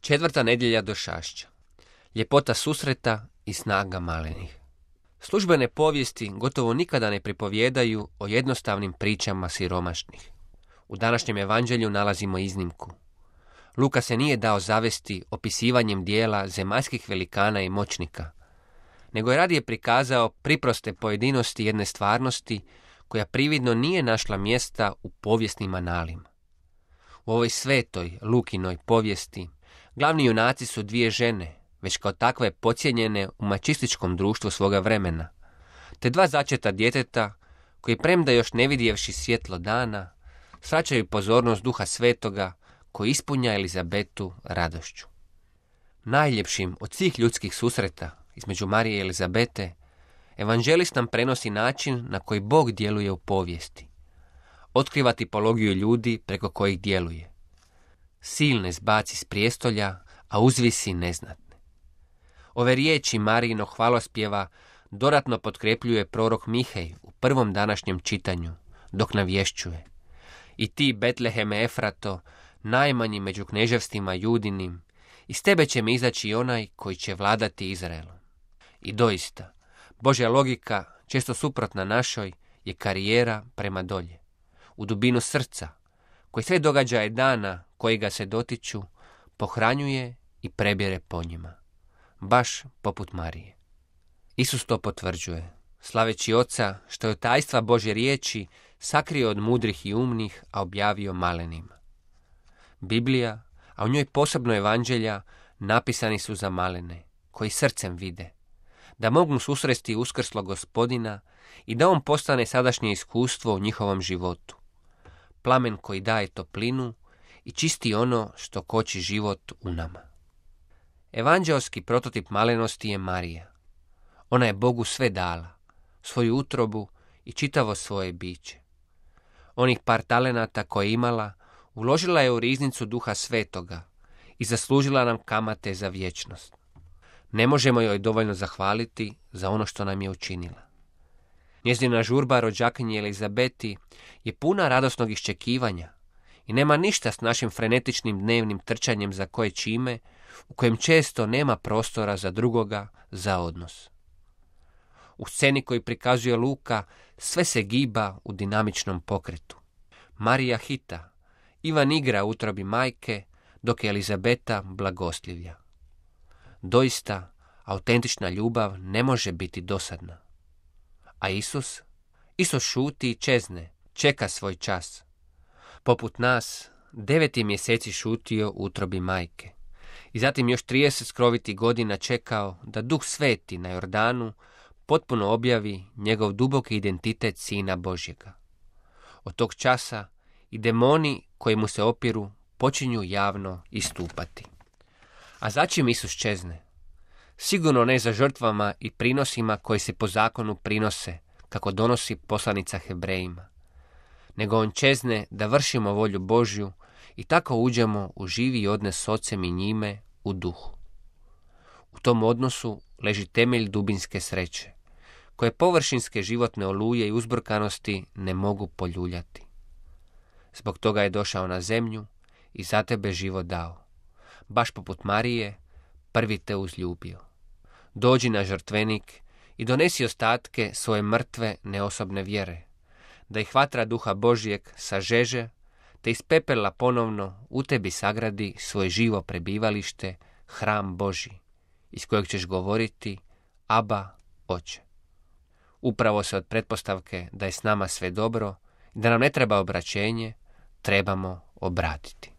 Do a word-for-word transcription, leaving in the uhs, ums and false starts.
Četvrta nedjelja došašća. Ljepota susreta i snaga malenih. Službene povijesti gotovo nikada ne pripovijedaju o jednostavnim pričama siromašnih. U današnjem evanđelju nalazimo iznimku. Luka se nije dao zavesti opisivanjem dijela zemaljskih velikana i moćnika, nego je radije prikazao priproste pojedinosti jedne stvarnosti koja prividno nije našla mjesta u povijesnim analima. U ovoj svetoj Lukinoj povijesti glavni junaci su dvije žene, već kao takve podcijenjene u mačističkom društvu svoga vremena, te dva začeta djeteta koji, premda još ne vidjevši svjetlo dana, svraćaju pozornost Duha Svetoga koji ispunja Elizabetu radošću. Najljepšim od svih ljudskih susreta između Marije i Elizabete, evanđelist nam prenosi način na koji Bog djeluje u povijesti. Otkriva tipologiju ljudi preko kojih djeluje. Silne zbaci s prijestolja, a uzvisi neznatne. Ove riječi Marijinog hvalospjeva dodatno potkrepljuje prorok Mihej u prvom današnjem čitanju, dok navješćuje: I ti, Betleheme Efrato, najmanji među kneževstvima Judinim, iz tebe će mi izaći onaj koji će vladati Izraelom. I doista, Božja logika, često suprotna našoj, je karijera prema dolje, u dubinu srca, koji sve događaje dana koji ga se dotiču, pohranjuje i prebire po njima, baš poput Marije. Isus to potvrđuje, slaveći Oca što je od tajstva Božje riječi sakrio od mudrih i umnih, a objavio malenima. Biblija, a u njoj posebno evanđelja, napisani su za malene, koji srcem vide, da mogu susresti uskrslog Gospodina i da on postane sadašnje iskustvo u njihovom životu. Plamen koji daje toplinu i čisti ono što koči život u nama. Evanđelski prototip malenosti je Marija. Ona je Bogu sve dala, svoju utrobu i čitavo svoje biće. Onih par talenata koje je imala, uložila je u riznicu Duha Svetoga i zaslužila nam kamate za vječnost. Ne možemo joj dovoljno zahvaliti za ono što nam je učinila. Njezina žurba rođakinji Elizabeti je puna radosnog iščekivanja i nema ništa s našim frenetičnim dnevnim trčanjem za koje čime, u kojem često nema prostora za drugoga, za odnos. U sceni koju prikazuje Luka sve se giba u dinamičnom pokretu. Marija hita, Ivan igra u utrobi majke, dok je Elizabeta blagoslivlja. Doista, autentična ljubav ne može biti dosadna. A Isus? Isus šuti i čezne, čeka svoj čas. Poput nas, devet je mjeseci šutio u utrobi majke. I zatim još trideset skrovitih godina čekao da Duh Sveti na Jordanu potpuno objavi njegov duboki identitet Sina Božjega. Od tog časa i demoni koji mu se opiru počinju javno istupati. A začim Isus čezne? Sigurno ne za žrtvama i prinosima koji se po zakonu prinose, kako donosi poslanica Hebrejima, nego on čezne da vršimo volju Božju i tako uđemo u živi odnos s Ocem i njime u duhu. U tom odnosu leži temelj dubinske sreće, koje površinske životne oluje i uzburkanosti ne mogu poljuljati. Zbog toga je došao na zemlju i za tebe život dao. Baš poput Marije, prvi te uzljubio. Dođi na žrtvenik i donesi ostatke svoje mrtve neosobne vjere, da ih vatra Duha Božjeg sažeže, te iz pepela ponovno u tebi sagradi svoje živo prebivalište, hram Božji, iz kojeg ćeš govoriti: Aba, Oče. Upravo se od pretpostavke da je s nama sve dobro i da nam ne treba obraćenje, trebamo obratiti.